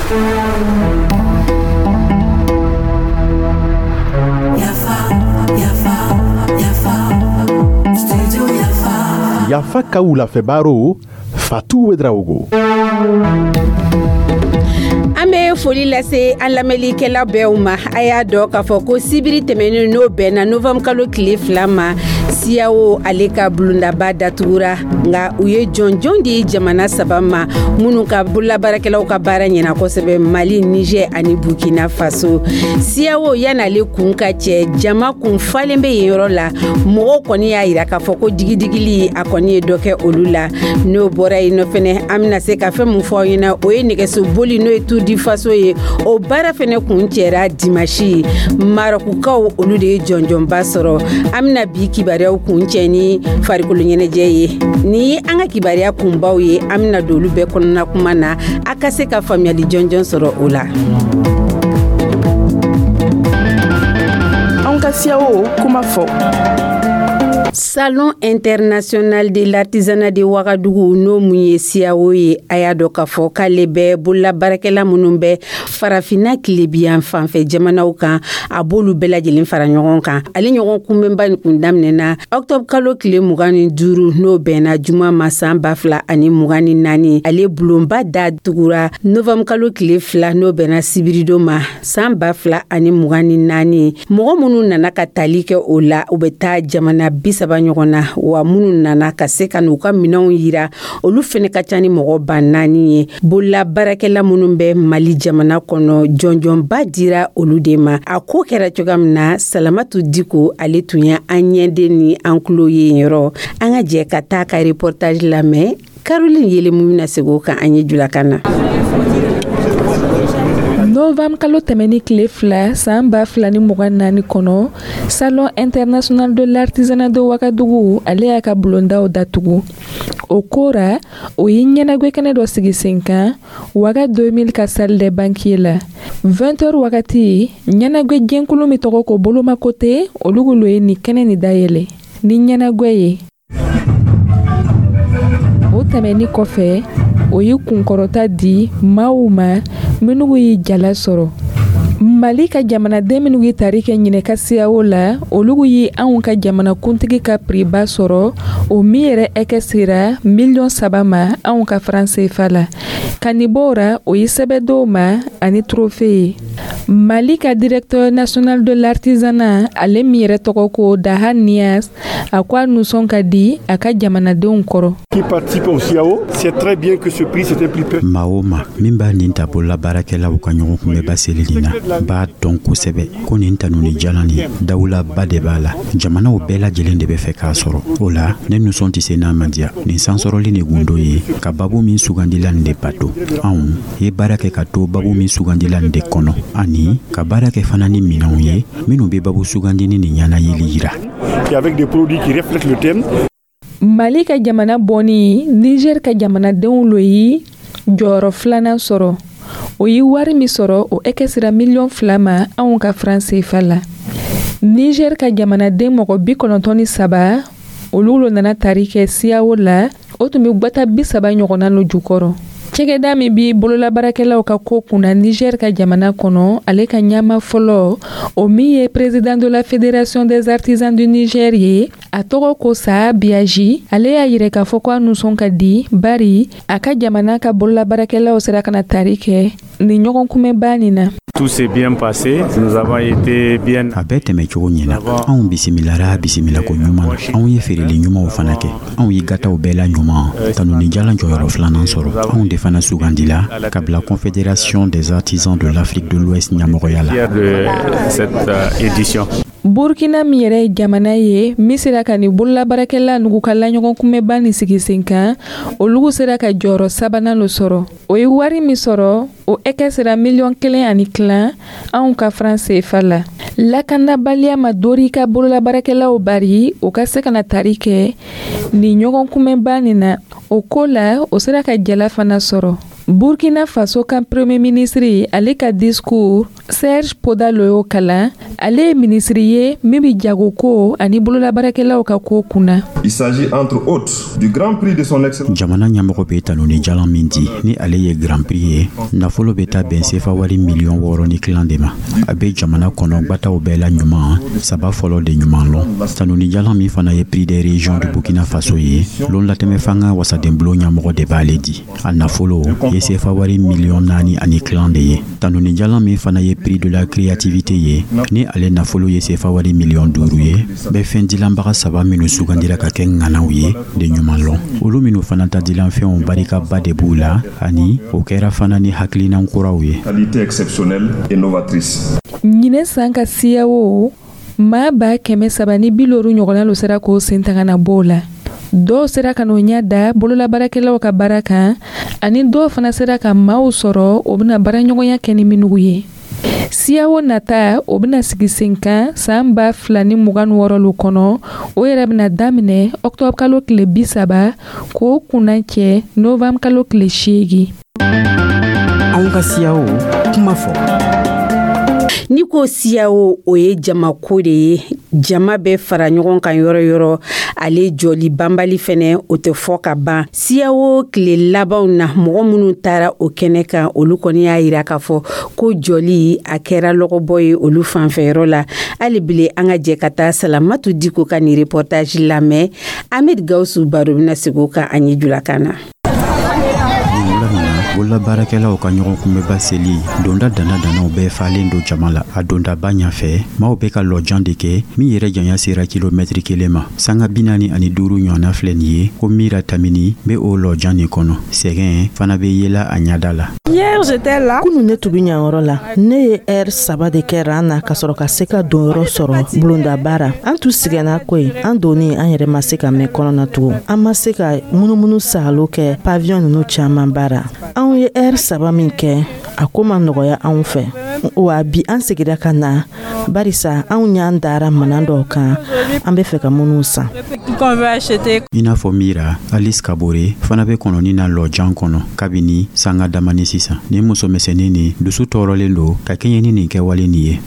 Yafa, yafa, yafa, studio Yafa. Yafa ka wulafɛ baro, Fatu Ouedraogo. An bɛ foli lase an lamɛnlikɛla bɛɛw ma. A y'a dɔn k'a fɔ ko sibiri tɛmɛnen, n'o bɛnna novembre kalo tile 2 ma, CEDEAO ale ka bulondaba datugura. Nka u ye jɔnjɔn di jamana saba ma minnu ka bololabaarakɛlaw ka baara ɲɛna kosɛbɛ: Mali, Niger ani Burkina Faso. CEDEAO, yan'ale kun ka cɛ, jama kun falen bɛ yen yɔrɔ la. Mɔgɔw kɔni y'a yira k'a fɔ ko digidigili a kɔni ye dɔ kɛ olu la. N'o bɔra yen nɔ fɛnɛ, an bɛna se ka fɛn mun fɔ aw ɲɛna, o ye nɛgɛso boli, n'o ye Tour du Faso ye. O baara fɛnɛ kun cɛra dimasi. Marɔkukaw, olu de ye jɔnjɔnba sɔrɔ. An bɛna bi kibaruyaw kun cɛ ni farikolo ɲɛnajɛ ye. Ni ye an ka kibaruya kunbaw ye. An bɛna don olu bɛɛ kɔnɔna kuma na, a ka se ka faamuyali jɔnjɔn sɔrɔ o la. Anw ka CEDEAO kuma fɔ. Salon international de l'artisanat de Ouagadougou, n'o mun ye SIAO ye, a y'a dɔn k'a fɔ k'ale bɛ bololabaarakɛla minnu bɛ Farafinna tilebiyan fanfɛ jamanaw kan, a b'olu bɛɛ lajɛlen fara ɲɔgɔn kan. Ale ɲɔgɔn kunbɛnba nin kun daminɛna octobre kalo tile 25, n'o bɛnna juma ma, san 2024. Ale bulonba datugura novembre kalo tile 2, n'o bɛnna sibiridon ma, san 2024. Mɔgɔ minnu nana ka tali kɛ o la, u bɛ taa jamana 30 ɲɔgɔn na. Wa minnu nana ka se ka n'u ka minɛnw yira, olu fɛnɛ ka ca ni mɔgɔ 4000 ye. Bolola baarakɛla minnu bɛ Mali jamana kɔnɔ, jɔnjɔnba dira olu de ma. A ko kɛra cogoya min na, Salamatu Diko, ale tun ye an ɲɛden ni an tulo ye yɔrɔ. An ka jɛ ka taa ka reportage lamɛn. Caroline Yelemu bɛna segin o kan an ye julakan na. Novembre kalo tɛmɛni tile 2, san 2024 kɔnɔ, Salon international de l'artisanat de Ouagadougou, ale y'a ka bulondaw datugu. O kora, o ye ɲɛnagwɛ kɛnɛ dɔ sigi sen kan Ouaga 2000 ka salle des banquets la. 20 heures wagati, ɲɛnagwɛ jɛnkulu min tɔgɔ ko Bolomakote, olu lo ye nin kɛnɛ nin dayɛlɛ ni ɲɛnagwɛ ye. O tɛmɛni kɔfɛ, o ye kunkɔrɔta di maaw ma minnu ye jala sɔrɔ. Mali ka jamanaden minnu ye tari kɛ ɲinɛ ka CEDEAO la, olu ye anw ka jamanakuntigi ka prix ba sɔrɔ, o min yɛrɛ ɛkɛ sera miliyɔn 3 ma anw ka franc CFA la. Ka nin bɔ o ra, o ye sɛbɛn dɔw ma ani trophée ye. Mali ka directeur national de l'artisanat, ale min yɛrɛ tɔgɔ ko Daha Nias, a ko a nisɔn ka di a ka jamanadenw kɔrɔ. Qui participe au CIAO sait très bien que ce prix, c'est un prix. Maa o ma min b'a nin ta bolola baarakɛlaw ka ɲɔgɔn kunbɛba seli nin na b'a dɔn kosɛbɛ ko nin tanuni jalan nin, dawulaba de b'a la. Jamanaw bɛɛ lajɛlen de bɛ fɛ k'a sɔrɔ. O la, ne nisɔn tɛ se n'a ma diya. Nin sansɔrɔli ni gundo ye ka babu min sugandila nin de bato. Anw ye baara kɛ ka to babu min sugandila nin de kɔnɔ, ani ka baara kɛ fana ni minɛnw ye minnu bɛ babu sugandini ni ɲɛnayeli yira. Et avec des produits qui reflètent le thème. Mali ka jamana bɔnni, Niger ka jamanadenw lo ye jɔyɔrɔ filanan sɔrɔ. O ye wari min sɔrɔ, o ɛkɛ sera miliyɔn 2 ma anw ka franc CFA la. Niger ka jamanaden mɔgɔ 93, olu lo nana tari kɛ CEDEAO la. O tun bɛ gwata 30 ɲɔgɔnna lo jukɔrɔ. Cɛgɛda min bi bololabaarakɛlaw ka ko kunna Niger ka jamana kɔnɔ, ale ka ɲama fɔlɔ, o min ye président de la Fédération des artisans du Niger ye, a tɔgɔ ko Saa Biyaji, ale y'a yirɛ k'a fɔ ko a nisɔn ka di, bari a ka jamana ka bololabaarakɛlaw sera ka na tari kɛ nin ɲɔgɔn kunbɛnba nin na. Tout s'est bien passé. Nous avons été bien. A bɛɛ tɛmɛ cogo ɲɛna. Anw bisimilara bisimilako ɲuman na. Anw ye feereli ɲumanw fana kɛ. Anw ye gataw bɛɛ la ɲuman tanuni jalan jɔyɔrɔ filanan sɔrɔ. Anw de fana sugandila ka bila Confédération des artisans de l'Afrique de l'Ouest ɲɛmɔgɔya la. De cette édition. Burkina min yɛrɛ ye jamana ye min sera ka nin bololabaarakɛla nugu ka laɲɔgɔn kunbɛnba nin sigi sen kan, olu sera ka jɔyɔrɔ sabanan lo sɔrɔ. O ye wari min sɔrɔ, o ɛkɛ sera miliyɔn 1 ani tilan anw ka franc CFA la. Lakanabaliya ma dori ka bololabaarakɛlaw bari o ka se ka na tari kɛ nin ɲɔgɔn kunbɛnba nin na. O ko la, o sera ka jala fana sɔrɔ. Burkina Faso ka premier ministre, ale ka discours Serge Poda lo y'o kalan. Ale ye minisiri ye min bɛ jagoko ani bololabaarakɛlaw ka ko kunna. Il s'agit entre autres du Grand Prix de son Excellence. Jamana ɲɛmɔgɔ bɛ tanuni jalan min di, ni ale ye Grand Prix ye, nafolo bɛ taa bɛn sefa wari miliyɔn 6 ni tilan de ma. A bɛ jamana kɔnɔ gbataw bɛɛ la ɲuman saba fɔlɔ de ɲuman lɔn. Tanuni jalan min fana ye Prix des régions du Burkina Faso ye, lon latɛmɛ fanga wasadenbulon ɲɛmɔgɔ de b'ale di. A nafolo ye sefa wari miliyɔn 4 ani tilan de ye. Tanuni jalan min fana ye Prix de la créativité ye, ni ale nafolo ye sefa wari miliyɔn 5 ye, bɛ fɛn dilanbaga saba minnu sugandira ka kɛ ŋanaw ye de ɲuman lɔn, olu minnu fana ta dilanfɛnw barikaba de b'u la, ani o kɛra fana ni hakilinan kuraw ye. Qualité exceptionnelle et novatrice. Ɲinɛ san ka CIAO, maa 350 ɲɔgɔnna lo sera k'o sen ta ka na bɔ o la. Dɔw sera ka n'o ɲɛ da bololabaarakɛlaw ka baara kan, ani dɔw fana sera ka maaw sɔrɔ o bɛna baaraɲɔgɔnya kɛ ni minnu ye. CIAO nata, o bɛna sigi sen kan san 2026 lo kɔnɔ. O yɛrɛ bɛna daminɛ ɔkutɔburu kalo tile 30 k'o kunna cɛ novanburu kalo tile 8. Anw ka CIAO kuma fɔ. N'i ko CIAO, o ye jamako de ye. Jama bɛ fara ɲɔgɔn kan yɔrɔ yɔrɔ, ale jɔli banbali fɛnɛ, o tɛ fɔ ka ban. CIAO tile labanw na, mɔgɔ minnu taara o kɛnɛ kan, olu kɔni y'a yira k'a fɔ ko jɔli a kɛra lɔgɔbɔ ye olu fanfɛyɔrɔ la. Hali bile, an ka jɛ ka taa Salamatu Diko ka nin reportage lamɛn. Ahmed Gawusu Baro bɛna segin o kan an ye julakan na. Bololabaarakɛlaw ka ɲɔgɔn kunbɛba seli donda danna dannaw bɛɛ falen don jama la. A dondaba ɲafɛ, maaw bɛ ka lɔjan de kɛ min yɛrɛ janya sera kilomɛtiri 1 ma. Sanga 45 ɲɔgɔnna filɛ nin ye ko Mira Tamini bɛ o lɔjan nin kɔnɔ. Sɛgɛn fana bɛ yela a ɲɛda la. Kunu, ne tun bɛ ɲanyɔrɔ la. Ne ye ɛri 3 de kɛ ran na ka sɔrɔ ka se ka donyɔrɔ sɔrɔ bulondaba ra. An tun sɛgɛnna koyi. An donni, an yɛrɛ ma se ka mɛn kɔnɔna tugun. An ma se ka munumunu saalo kɛ pavillon ninnu caman bara. Anw ye ɛri 3 min kɛ, a ko ma nɔgɔya anw fɛ wa. Bi, an segira ka na barisa anw y'an dara manan dɔw kan, an bɛ fɛ ka minnu san. I n'a fɔ Mira, Alice Kabore fana bɛ kɔnɔni na lɔjan kɔnɔ kabini sanga damani sisan. Nin musomisɛnnin nin dusu tɔɔrɔlen don ka kɛɲɛ ni nin kɛwale nin ye.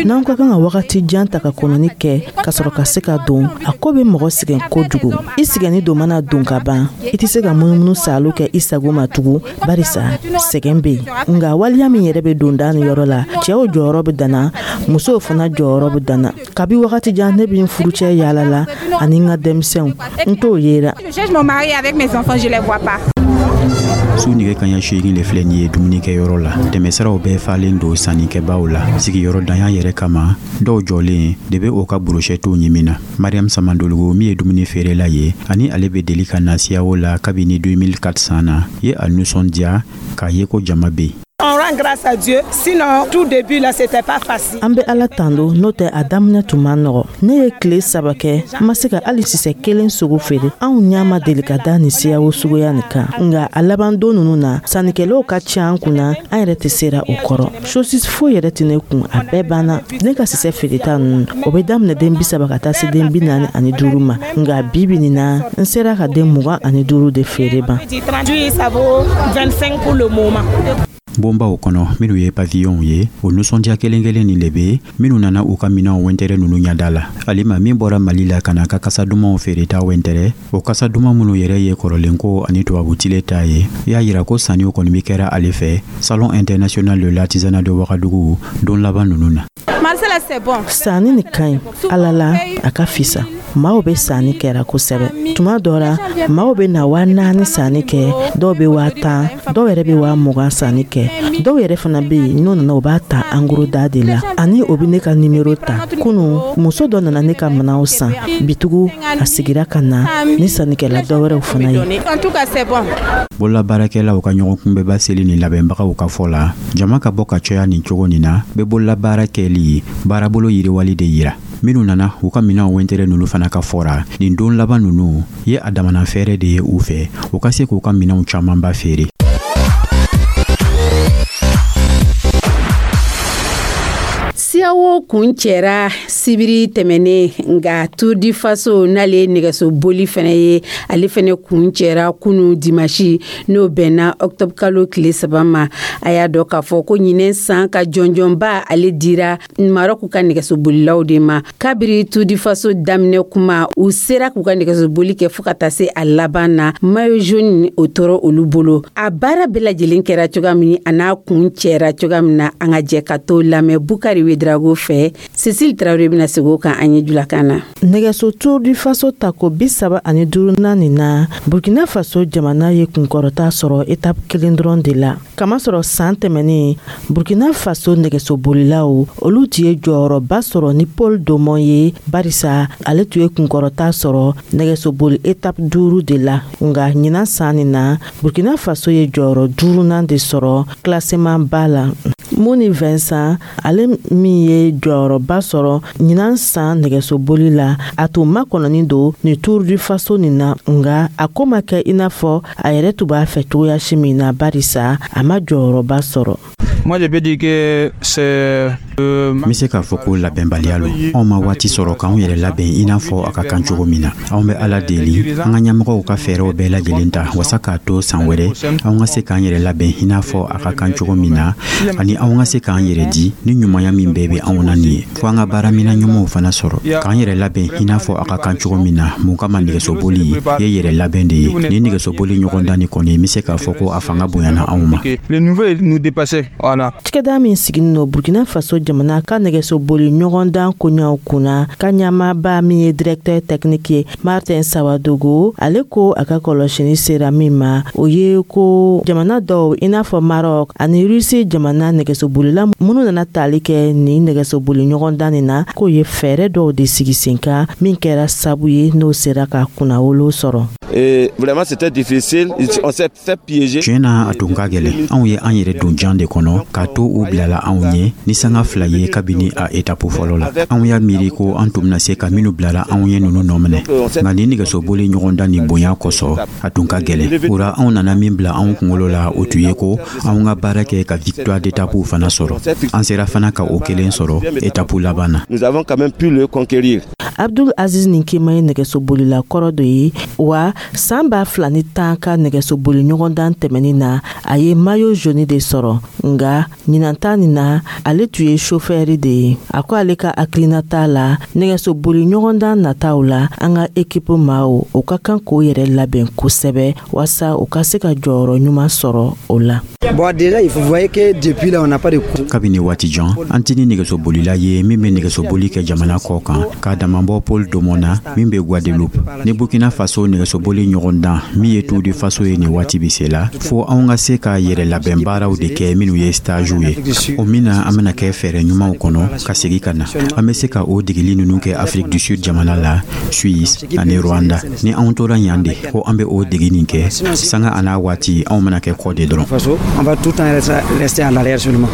N'an ka kan ka wagati jan ta ka kɔnɔni kɛ ka sɔrɔ ka se ka don, a ko bɛ mɔgɔ sɛgɛn kojugu. I sɛgɛnni don mana don ka ban, i tɛ se ka munumunu saalo kɛ i sago ma tugun, barisa sɛgɛn bɛ yen. Nka waliya min yɛrɛ bɛ don da ni yɔrɔ la, cɛw jɔyɔrɔ bɛ danna, musow fana jɔyɔrɔ bɛ danna. Kabi wagati jan, ne bɛ n furucɛ yaala la ani n ka denmisɛnw, n t'o yera. Su nɛgɛ kaɲa 8 le filɛ nin ye dumunikɛyɔrɔ la. Tɛmɛsiraw bɛɛ falen don sannikɛbaaw la. Sigiyɔrɔ danya yɛrɛ kama, dɔw jɔlen de bɛ o ka burushɛtiw ɲimi na. Mariam Samandologo min ye dumuni feerela ye, ani ale bɛ deli ka na CIAO la kabini 2004 san na, ye a nisɔndiya k'a ye ko jama bɛ yen. On rend grâce à Dieu. Sinon, tout début là, c'était pas facile. An bɛ Ala tando, n'o tɛ a daminɛ tun man nɔgɔ. Ne ye tile 3 kɛ, n ma se ka hali sisɛ kelen sogo feere. Anw ɲa ma deli ka da nin CIAO suguya nin kan, nka a laban don ninnu na, sannikɛlaw ka ca an kunna, an yɛrɛ tɛ sera o kɔrɔ. Sosi foyi yɛrɛ tɛ ne kun, a bɛɛ banna. Ne ka sisɛ feereta ninnu, o bɛ daminɛ den 30 ka taa se den 45 ma, nka bi bi nin na, n sera ka den 25 de feere ban. Ça vaut 25 pour le moment. Bonbaw kɔnɔ minnu ye pavillonw ye, o nisɔndiya kelen kelen nin le be minnu nana u ka minɛnw wɛntɛrɛ ninnu ɲada la. Alima min bɔra Mali la ka na ka kasa dumanw feereta wɛntɛrɛ, o kasa duman minnu yɛrɛ ye kɔrɔlenko ani tubabutile ta ye, y'a yira ko sanniw kɔni be kɛra ale fɛ Salon international de l'artisanat de Wagadugu don laban ninnu na. Sanni nin ka ɲi Ala la, a ka fisa. Maaw bɛ sanni kɛra kosɛbɛ. Tuma dɔ la, maaw bɛ na 4000 sanni kɛ, dɔw bɛ 10 000, dɔw yɛrɛ bɛ 20 000 sanni kɛ. Dɔw yɛrɛ fana bɛ yen, n'o nana, u b'a ta en gros da de la, ani o bɛ ne ka nimero ta. Kunu, muso dɔ nana ne ka minɛnw san. Bitugu, a sigira ka na ni sannikɛla dɔ wɛrɛw fana ye. Bololabaarakɛlaw ka ɲɔgɔn kunbɛba seli ni labɛnbagaw ka fɔ la, jama ka bɔ ka caya nin cogo nin na bɛ bololabaara kɛli baarabolo yiriwali de yira. Minnu nana u ka minɛnw wɛntɛrɛ ninnu fana ka fɔra, nin don laban ninnu ye a damana fɛɛrɛ de ye u fɛ, u ka se k'u ka minɛnw camanba feere. CIAO kun cɛra. Sibiri tɛmɛnen, nka Tour du Faso, n'ale ye nɛgɛso boli fɛnɛ ye, ale fɛnɛ kun cɛra kunu dimasi, n'o bɛnna octobre kalo tile 3 ma. A y'a dɔn k'a fɔ ko ɲinɛ san ka jɔnjɔnba, ale dira Marɔku ka nɛgɛsobolilaw de ma. Kabiri Tour du Faso daminɛ kuma, u sera k'u ka nɛgɛsoboli kɛ fɔɔ ka taa se a laban na. Maillot jaune, o tɔɔrɔ olu bolo. A baara bɛɛ lajɛlen kɛra cogoya min, a n'a kun cɛra cogoya min na, an ka jɛ ka to lamɛn Bukari Wedrago fɛ. Cecile Tarawele bɛna segin o kan an ye julakan na. Nɛgɛso Tour du Faso tako 35nan nin na, Burkina Faso jamana ye kunkɔrɔta sɔrɔ étape kelen dɔrɔn de la, kamasɔrɔ san tɛmɛnen, Burkina Faso nɛgɛsobolilaw, olu tun ye jɔyɔrɔba sɔrɔ ni Paul Domon ye, barisa ale tun ye kunkɔrɔta sɔrɔ nɛgɛsoboli étape duuru de la. Nga ɲinan san nin na, Burkina Faso ye jɔyɔrɔ duurunan de sɔrɔ classement ba la. Muni Vincent, ale min ye jɔyɔrɔba sɔrɔ ɲinan san nɛgɛsoboli la, a tun makɔnɔnin don ni Tour du Faso nin na, nga a ko ma kɛ i n'a fɔ a yɛrɛ tun b'a fɛ cogoya si min na, barisa a ma jɔyɔrɔba sɔrɔ. Moi, je peux dire que c'est N bɛ se k'a fɔ ko labɛnbaliya lo. Anw ma waati sɔrɔ k'anw yɛrɛ labɛn i n'a fɔ a ka kan cogo min na. Anw bɛ Ala deli, an ka ɲɛmɔgɔw ka fɛɛrɛw bɛɛ lajɛlen ta wasa k'a to san wɛrɛ anw ka se k'an yɛrɛ labɛn i n'a fɔ a ka kan cogo min na, ani anw ka se k'an yɛrɛ di ni ɲumanya min bɛɛ bɛ anw na nin ye, fo an ka baaraminɛ ɲumanw fana sɔrɔ k'an yɛrɛ labɛn i n'a fɔ a ka kan cogo min na. Mun kama, nɛgɛsoboli ye yɛrɛ labɛn de ye. Ni nɛgɛsoboli ɲɔgɔn dan ni kɔni, n bɛ se k'a fɔ ko a fanga bonyana anw ma. Le niveau nous dépassait. Voilà. Cikɛda min siginin no Burkina Faso jamana ka nɛgɛsoboli ɲɔgɔndan koɲaw kunna ka ɲamaba min ye directeur technique ye, Martin Sawadogo, ale ko a ka kɔlɔsini sera min ma, o ye ko jamana dɔw i n'a fɔ Maroc ani Rusi jamana nɛgɛsobolila minnu nana tali kɛ nin nɛgɛsoboli ɲɔgɔndan nin na, k'o ye fɛɛrɛ dɔw de sigi sen kan min kɛra sabu ye n'o sera ka kunnawolo sɔrɔ. Et vraiment, c'était difficile. On s'est fait piéger. Tiɲɛ na, a tun ka gɛlɛn. Anw ye an yɛrɛ don jan de kɔnɔ k'a to u bilala anw ɲɛ ni sanga 2 ye kabini a étape fɔlɔ la. Anw y'a miiri ko an tun bɛna se ka minnu bilala anw ye ninnu nɔ minɛ, nka ni nɛgɛsoboli ɲɔgɔndan nin bonya kosɔn, a tun ka gɛlɛn. O ra, anw nana min bila anw kunkolo la, o tun ye ko anw ka baara kɛ ka victoire d'étape fana sɔrɔ. An sera fana ka o kelen sɔrɔ étape laban na. Nous avons quand même pu le conquérir. Abdul Aziz Ninkema ye nɛgɛsobolila kɔrɔ dɔ ye wa. San 2010 ka nɛgɛsoboli ɲɔgɔndan tɛmɛnin na, a ye maillot jaune de sɔrɔ, nga ɲinanta nin na, ale tun ye chauffeur de ye. A ko ale ka hakilinata la, nɛgɛsoboli ɲɔgɔndan nataw la, an ka équipe maaw, o ka kan k'o yɛrɛ labɛn kosɛbɛ waasa u ka se ka jɔyɔrɔ ɲuman sɔrɔ o la. Bon, déjà, il faut voir que depuis là, on n'a pas de Kabini waati jan, an tɛ ni nɛgɛsobolila ye min bɛ nɛgɛsoboli kɛ jamana kɔ kan k'a damabɔ Paul Domon na min bɛ Guadeloupe. Ni Burkina Faso nɛgɛsoboli ɲɔgɔndan min ye Tour du Faso ye nin waati bɛ se la, fo anw ka se ka yɛrɛ labɛn baaraw de kɛ minnu ye stagew ye, o min na an bɛna kɛ fɛɛrɛ ɲumanw kɔnɔ ka segin ka na. An bɛ se ka o degeli ninnu kɛ Afrique du Sud jamana la, Suisse ani Rwanda. Ni anw tora yan de ko an bɛ o degi nin kɛ, sanga a n'a waati, anw bɛna kɛ kɔ de dɔrɔn. On va tout le temps rester en arrière seulement.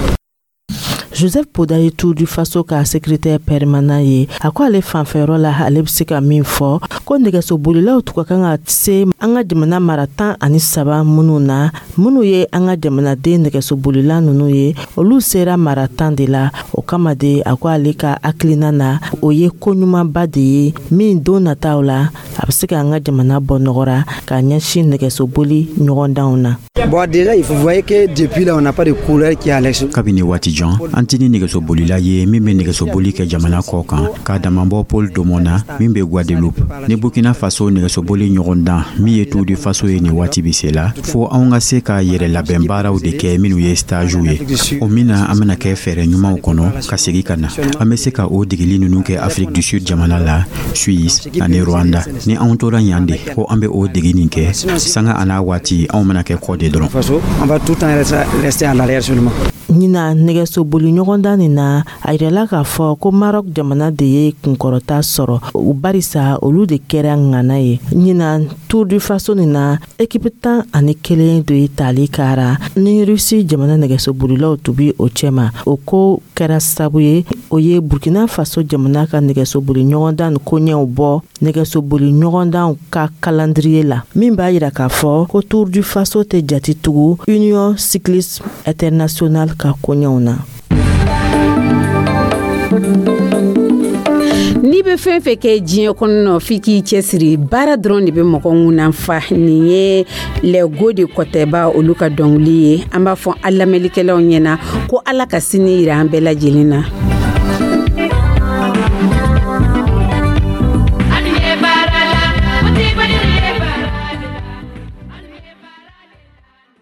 Joseph Poda ye Tour du Faso ka secrétaire permanent ye. A ko ale fanfɛyɔrɔ la, ale bɛ se ka min fɔ ko nɛgɛsobolilaw tun ka kan ka se an ka jamana mara 13 minnu na, minnu ye an ka jamanaden nɛgɛsobolila ninnu ye, olu sera mara 10 de la. O kama de, a ko ale ka hakilina na, o ye ko ɲumanba de ye min don nataw la, a bɛ se ka an ka jamana bɔ nɔgɔra ka ɲɛsin nɛgɛsoboli ɲɔgɔndanw na. Bon, déjà, il faut voir que depuis là, on n'a pas de coureur qui est à l'extérieur. Kabini waati jan, an tɛ ni nɛgɛsobolila ye min bɛ nɛgɛsoboli kɛ jamana kɔ kan k'a damabɔ Paul Domon na min bɛ Guadeloupe. Ni Burkina Faso nɛgɛsoboli ɲɔgɔndan min ye Tour du Faso ye nin waati bɛ se la, fo anw ka se ka yɛrɛ labɛn baaraw de kɛ minnu ye stagew ye, o min na an bɛna kɛ fɛɛrɛ ɲumanw kɔnɔ ka segin ka na. An bɛ se ka o degeli ninnu kɛ Afrique du Sud jamana la, Suisse ani Rwanda. Ni anw tora yan de ko an bɛ o degi nin kɛ, sanga a n'a waati, anw bɛna kɛ kɔ de dɔrɔn. On va tout le temps rester en arrière seulement. Ɲina nɛgɛsoboli ɲɔgɔndan nin na, a yirala k'a fɔ ko Marɔk jamana de ye kunkɔrɔta sɔrɔ, o barisa olu de kɛra ŋana ye. Ɲina Tour du Faso nin na, équipe 11 de ye tali kara ni Rusi jamana nɛgɛsobolilaw tun bi o cɛma. O ko kɛra sabu ye, o ye Burkina Faso jamana ka nɛgɛsoboli ɲɔgɔndan koɲɛw bɔ nɛgɛsoboli ɲɔgɔndanw ka calendrier la, min b'a yira k'a fɔ ko Tour du Faso tɛ jati tugu Union Cycliste Internationale ka koɲɛw na. N'i bɛ fɛn fɛn kɛ diɲɛ kɔnɔ, f'i k'i cɛsiri. Baara dɔrɔn de bɛ mɔgɔ ŋunan fa. Nin ye Lɛgo de Kɔtɛba olu ka dɔnkili ye. An b'a fɔ an lamɛnlikɛlaw ɲɛna ko Ala ka sini yira an bɛɛ lajɛlen na.